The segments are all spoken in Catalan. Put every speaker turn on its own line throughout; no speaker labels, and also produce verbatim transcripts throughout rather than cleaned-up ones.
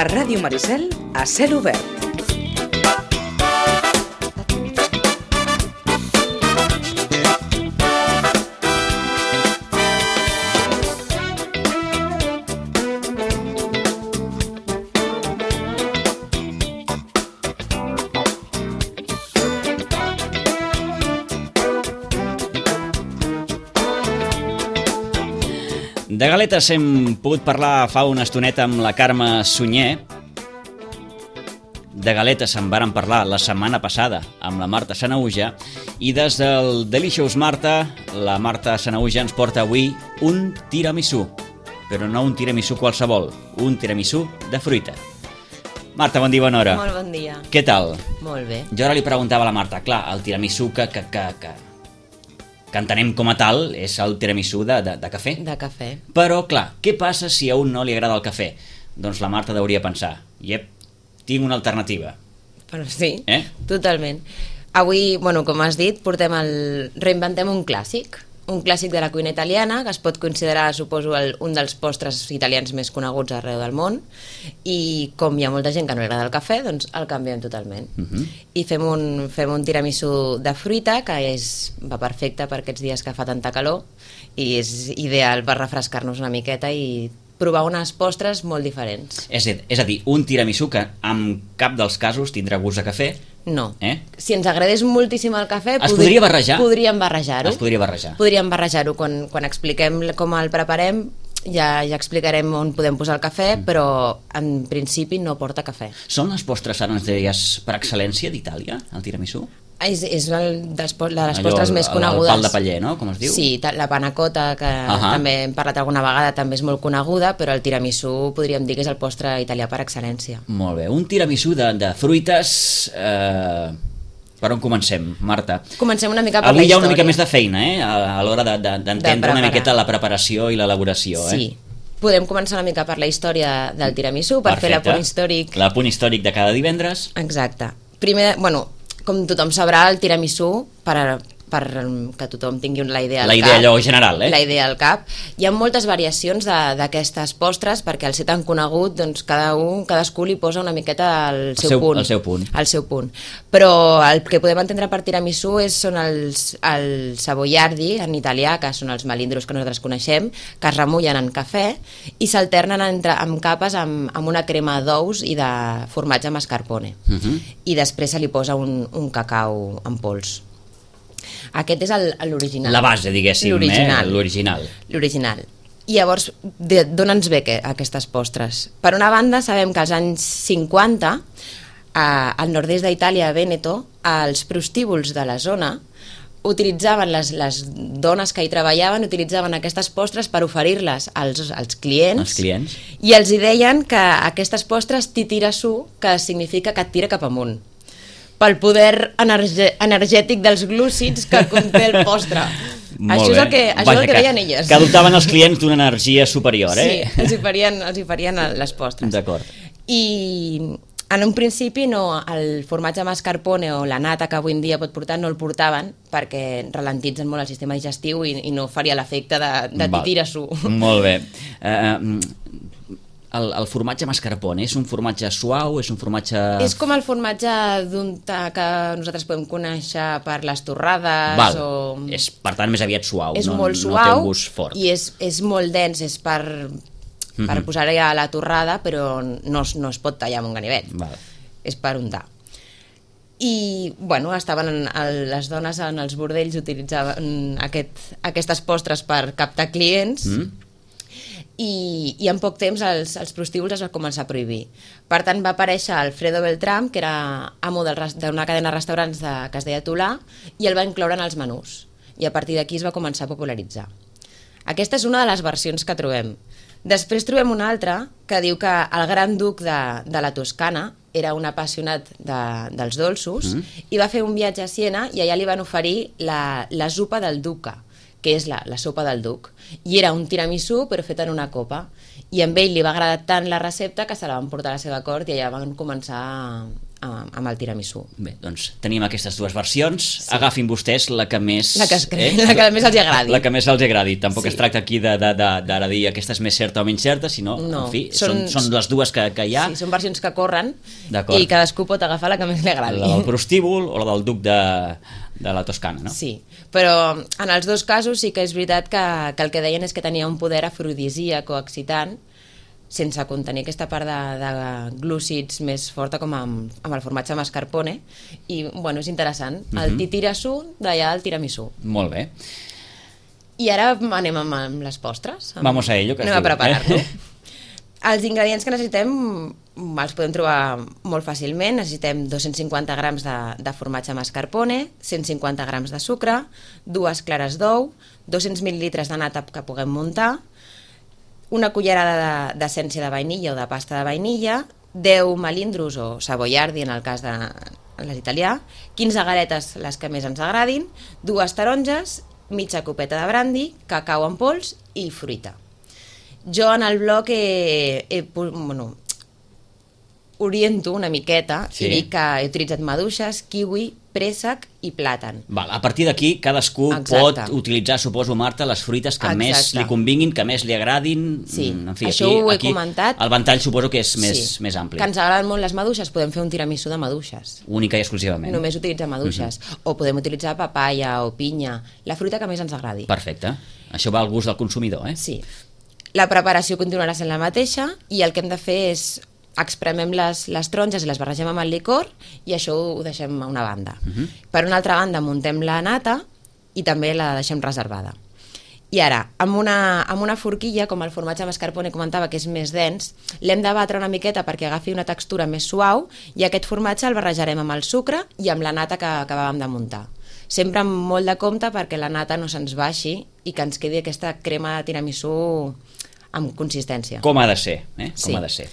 A Ràdio Maricel, a cel obert.
De galetes hem pogut parlar fa una estoneta amb la Carme Sunyer. De galetes en vàrem parlar la setmana passada amb la Marta Sanahuja. I des del Delicious Marta, la Marta Sanahuja ens porta avui un tiramisú. Però no un tiramisú qualsevol, un tiramisú de fruita. Marta, bon dia, bona hora.
Molt bon dia.
Què tal?
Molt bé.
Jo ara li preguntava a la Marta, clar, el tiramisú que... que, que, que... que entenem com a tal és el tiramisú de, de, de cafè.
De cafè.
Però, clar, què passa si a un no li agrada el cafè? Doncs la Marta hauria pensar, iep, tinc una alternativa.
Però sí,
eh?
Totalment. Avui, bueno, com has dit, portem el... reinventem un clàssic, un clàssic de la cuina italiana, que es pot considerar, suposo, el, un dels postres italians més coneguts arreu del món, i com hi ha molta gent que no li agrada el cafè, doncs el canviem totalment. Uh-huh. I fem un, fem un tiramisú de fruita, que és, va perfecte per aquests dies que fa tanta calor, i és ideal per refrescar-nos una miqueta i provar unes postres molt diferents.
És, és a dir, un tiramisú que en cap dels casos tindrà gust de cafè.
No.
Eh?
Si ens agradés moltíssim el cafè...
Es podri... podria barrejar?
Podríem barrejar-ho.
Es podria barrejar.
Podríem barrejar-ho. Quan, quan expliquem com el preparem, ja, ja explicarem on podem posar el cafè, mm. però en principi no porta cafè.
Són les postres, ara ens deies, per excel·lència d'Itàlia, el tiramisú?
És, és el dels, de les
allò,
postres més conegudes.
El pal de paller, no? Com es diu?
Sí, la panna cotta, que uh-huh. també hem parlat alguna vegada, també és molt coneguda, però el tiramisú podríem dir que és el postre italià per excel·lència. Molt
bé. Un tiramisú de, de fruites... Eh... Per on comencem, Marta?
Comencem una mica per
Avui
la història.
Avui hi ha una mica més de feina, eh? A, a l'hora d'entendre de, de, una miqueta la preparació i l'elaboració, eh?
Sí. Podem començar una mica per la història del tiramisú, per
Perfecte.
Fer l'apunt històric.
L'apunt històric de cada divendres.
Exacte. Primer, bueno, com tothom sabrà, el tiramisú, per, per que tothom tingui la idea al
la
cap.
idea allò general, eh?
La idea al cap. Hi ha moltes variacions d'aquestes postres, perquè al ser tan conegut, doncs cada un, cadascú li posa una miqueta el seu,
el seu
punt.
El seu punt.
El seu punt. Però el que podem entendre per tiramisú és, són els, el savoiardi, en italià, que són els melindros que nosaltres coneixem, que es remullen en cafè i s'alternen entre, amb capes amb, amb una crema d'ous i de formatge mascarpone. Uh-huh. I després se li posa un, un cacau en pols. Aquest és l'original.
La base, diguéssim, l'original. Eh? L'original.
L'original. I llavors, d'on ens ve que, aquestes postres? Per una banda, sabem que als anys cinquanta, a, al nord-est d'Itàlia, a Vèneto, els prostíbuls de la zona utilitzaven, les, les dones que hi treballaven, utilitzaven aquestes postres per oferir-les als, als clients.
Els clients.
I els hi deien que aquestes postres titira su, que significa que et tira cap amunt, pel poder energe, energètic dels glúcids que conté el postre.
Molt
això
bé.
és el que, això
Vaja,
és el que,
que
deien elles.
Que adoptaven els clients d'una energia superior, eh?
Sí, els hi farien, els hi farien les postres.
D'acord.
I en un principi no, el formatge mascarpone o la nata que avui en dia pot portar no el portaven perquè ralentitzen molt el sistema digestiu i, i no faria l'efecte de, de titira-su.
Molt bé. Uh, El, el formatge mascarpone és un formatge suau, és un formatge...
És com el formatge d'untar que nosaltres podem conèixer per les torrades.
Val.
O...
És, per tant, més aviat suau.
És
no,
molt
no
suau
té un gust fort.
I és, és molt dens, és per, per mm-hmm. posar-hi a la torrada, però no, no es pot tallar amb un ganivet.
Val.
És per untar. I, bueno, estaven en, les dones en els bordells utilitzaven aquest, aquestes postres per captar clients. Mm. I, i en poc temps els, els prostíbuls es van començar a prohibir. Per tant, va aparèixer Alfredo Beltrán, que era amo d'una cadena de restaurants de, que es deia Tolà, i el va incloure en els menús. I a partir d'aquí es va començar a popularitzar. Aquesta és una de les versions que trobem. Després trobem una altra que diu que el gran duc de, de la Toscana era un apassionat de, dels dolços mm. i va fer un viatge a Siena i allà li van oferir la, la zupa del duca, que és la, la sopa del duc, i era un tiramisú però fet en una copa, i amb ell li va agradar tant la recepta que se la van portar a la seva cort i allà van començar a, amb, amb el tiramisú.
Bé, doncs tenim aquestes dues versions. Sí. Agafin vostès la que més...
La que, es cre... eh? la que més els agradi.
La que més els agradi. Tampoc sí. es tracta aquí d'ara de, de, de dir aquesta és més certa o menys certa, sinó,
no,
en fi, són, són, són les dues que, que hi ha.
Sí, són versions que corren i cadascú pot agafar la que més li agradi.
La del prostíbul o la del duc de, de la Toscana, no?
Sí, però en els dos casos sí que és veritat que, que el que deien és que tenia un poder afrodisíac o excitant, sense contenir aquesta part de, de glúcids més forta com amb, amb el formatge mascarpone, i bueno, és interessant. Uh-huh. El titirassú d'allà al tiramisú.
Molt bé.
I ara anem amb, amb les postres. Amb...
Vamos a ello, que es
anem
diu.
a preparar-lo. Els ingredients que necessitem els podem trobar molt fàcilment. Necessitem dos-cents cinquanta grams de, de formatge mascarpone, cent cinquanta grams de sucre, dues clares d'ou, dos-cents mil·lilitres de nata que puguem muntar, una cullerada d'essència de, de vainilla o de pasta de vainilla, deu melindros o savoiardi en el cas de l'italià, quinze galetes les que més ens agradin, dues taronges, mitja copeta de brandi, cacau en pols i fruita. Jo en el blog he, he, bueno, oriento una miqueta sí. i dic que he utilitzat maduixes, kiwi, préssec i plàtan.
Val, a partir d'aquí cadascú Exacte. pot utilitzar, suposo, Marta, les fruites que Exacte. més li convinguin, que més li agradin.
Sí,
en fi,
això
aquí,
ho he
aquí
comentat.
El ventall suposo que és més,
sí.
més ampli.
Que ens agraden molt les maduixes, podem fer un tiramisú de maduixes.
Única i exclusivament.
Només utilitzar maduixes. Uh-huh. O podem utilitzar papaya o pinya, la fruita que més ens agradi.
Perfecte. Això va al gust del consumidor, eh?
Sí. La preparació continuarà sent la mateixa i el que hem de fer és expremem les, les taronges i les barregem amb el licor i això ho deixem a una banda. Uh-huh. Per una altra banda muntem la nata i també la deixem reservada. I ara, amb una, amb una forquilla, com el formatge mascarpone comentava que és més dens, l'hem de batre una miqueta perquè agafi una textura més suau i aquest formatge el barrejarem amb el sucre i amb la nata que acabàvem de muntar. Sempre amb molt de compte perquè la nata no se'ns baixi i que ens quedi aquesta crema de tiramisú amb consistència.
Com ha de ser, eh? Com
sí.
ha de ser.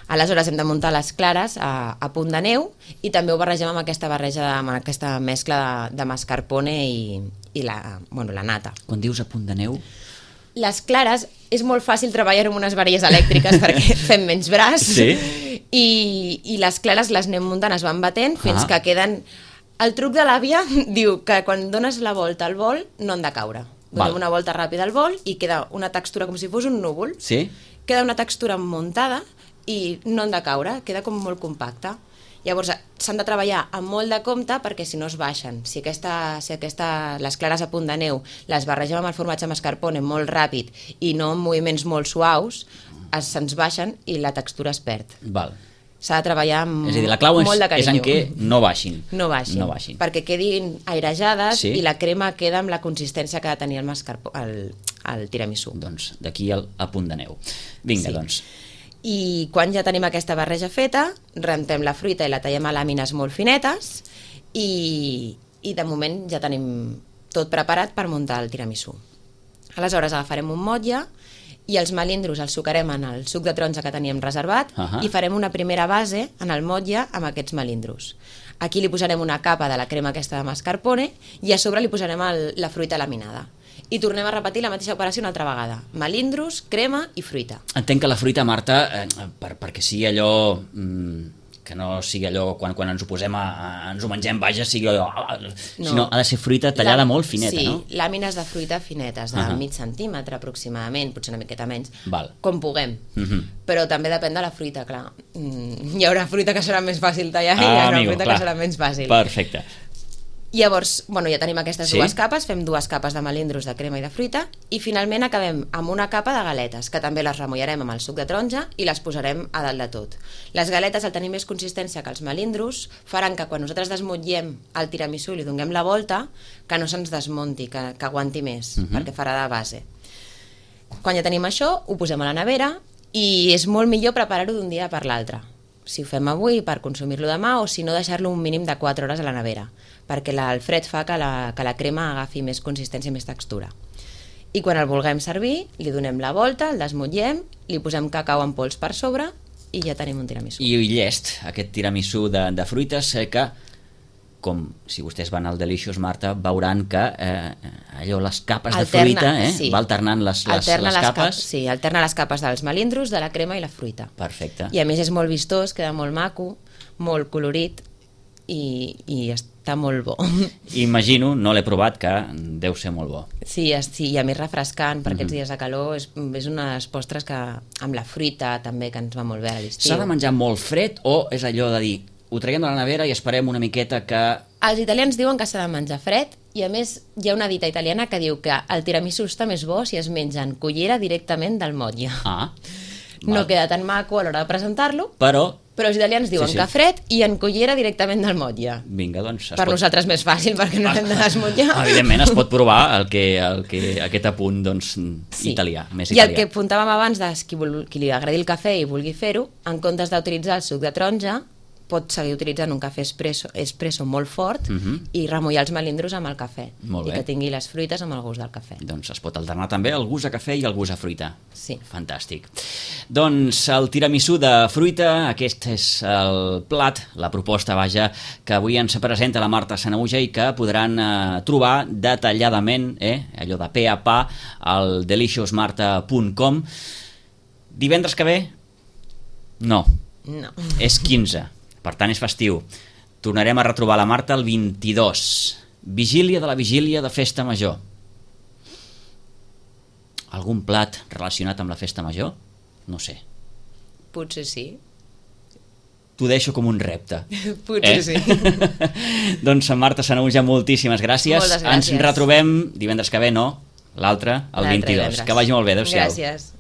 Aleshores hem de muntar les clares a, a punt de neu i també ho barregem amb aquesta barreja, de, amb aquesta mescla de, de mascarpone i, i la, bueno, la nata.
Quan dius a punt de neu?
Les clares és molt fàcil treballar amb unes varilles elèctriques perquè fem menys braç
sí?
i, i les clares les anem muntant, es van batent fins
ah.
que queden... El truc de l'àvia diu que quan dones la volta al bol no han de caure. Donem Val. una volta ràpida al bol i queda una textura com si fos un núvol.
Sí?
Queda una textura muntada i no han de caure, queda com molt compacte. Llavors s'han de treballar amb molt de compte perquè si no es baixen. Si, aquesta, si aquesta, les clares a punt de neu les barregem amb el formatge mascarpone molt ràpid i no amb moviments molt suaus, es, se'ns baixen i la textura es perd.
Val.
S'ha de treballar amb
és a dir, la clau és,
molt de carinyo.
És en què no baixin.
No baixin,
no baixin.
perquè quedin airejades
sí?
i la crema queda amb la consistència que ha de tenir el, mascarpone, el, el tiramisú.
Doncs d'aquí el a punt de neu. Vinga, sí. doncs.
I quan ja tenim aquesta barreja feta, rentem la fruita i la tallem a làmines molt finetes i, i de moment ja tenim tot preparat per muntar el tiramisú. Aleshores agafarem un motlle i els melindros els sucarem en el suc de taronja que teníem reservat
uh-huh.
i farem una primera base en el motlle amb aquests melindros. Aquí li posarem una capa de la crema aquesta de mascarpone i a sobre li posarem el, la fruita laminada. I tornem a repetir la mateixa operació una altra vegada. Melindros, crema i fruita.
Entenc que la fruita, Marta, eh, per, perquè sigui allò... Mm, que no sigui allò, quan, quan ens ho posem a, a, ens ho mengem, vaja, sigui allò... No. Sinó ha de ser fruita tallada la, molt fineta,
sí,
no?
Sí, làmines de fruita finetes, de uh-huh. mig centímetre aproximadament, potser una miqueta menys,
Val.
com puguem.
Uh-huh.
Però també depèn de la fruita, clar. Mm, hi haurà fruita que serà més fàcil tallar
ah,
i hi haurà
amigo,
fruita
clar.
que serà menys fàcil.
Perfecte.
Llavors, bueno, ja tenim aquestes
sí?
dues capes, fem dues capes de melindros, de crema i de fruita, i finalment acabem amb una capa de galetes, que també les remullarem amb el suc de taronja i les posarem a dalt de tot. Les galetes, al tenir més consistència que els melindros, faran que quan nosaltres desmotllem el tiramisú i li donem la volta, que no se'ns desmunti, que, que aguanti més, uh-huh. perquè farà de base. Quan ja tenim això, ho posem a la nevera i és molt millor preparar-ho d'un dia per l'altre. Si ho fem avui per consumir-lo demà o si no deixar-lo un mínim de quatre hores a la nevera, perquè la, el fred fa que la, que la crema agafi més consistència i més textura. I quan el vulguem servir, li donem la volta, el desmotllem, li posem cacau en pols per sobre i ja tenim un tiramisú.
I llest, aquest tiramisú de, de fruites eh, que, com si vostès van al Delicious, Marta, veuran que eh, allò, les capes alterna, de fruita eh, sí. va alternant les, les,
alterna
les, les capes.
Cap, sí, alterna les capes dels melindros, de la crema i la fruita.
Perfecte.
I a més és molt vistós, queda molt maco. molt colorit i, i està molt bo.
Imagino, no l'he provat, que deu ser molt bo.
Sí, es- sí, i a més refrescant per aquests
Mhm.
dies de calor, és, és unes postres que amb la fruita també, que ens va molt bé a l'estiu.
S'ha de menjar molt fred o és allò de dir ho traiem de la nevera i esperem una miqueta que...
Els italians diuen que s'ha de menjar fred i a més hi ha una dita italiana que diu que el tiramisú està més bo si es menja en cullera directament del motlle.
Ah,
No
val.
queda tan maco a l'hora de presentar-lo,
Però,
però els italians diuen
Sí, sí.
que fred i en cullera directament del motlle.
vinga, doncs... es
Per
pot-
nosaltres més fàcil, perquè no l'hem de desmutllar.
Evidentment es pot provar el que, el que, aquest apunt doncs, italià, més
I el
italià.
que apuntàvem abans de qui, vol, qui li agradi el cafè i vulgui fer-ho, en comptes d'utilitzar el suc de taronja, pot seguir utilitzant un cafè espresso, espresso molt fort
Mhm.
i remullar els melindros amb el cafè.
Molt
I
bé.
que tingui les fruites amb el gust del cafè.
Doncs es pot alternar també el gust a cafè i el gust a fruita.
Sí.
Fantàstic. Doncs el tiramisú de fruita, aquest és el plat, la proposta, vaja, que avui ens presenta la Marta Sanahuja i que podran eh, trobar detalladament, eh, allò de pe a pa, al delicious marta punt com. Divendres que ve? No,
No.
és quinze, per tant és festiu. Tornarem a retrobar la Marta el vint-i-dos, vigília de la vigília de Festa Major. Algun plat relacionat amb la Festa Major? No sé.
Potser sí.
T'ho deixo com un repte.
Potser sí.
Doncs Marta Sanahuja, moltíssimes gràcies.
Moltes gràcies.
Ens retrobem divendres que ve, no? L'altre, el
L'altre
vint-i-dos.
divendres.
Que vagi molt bé, adéu-siau.
Gràcies.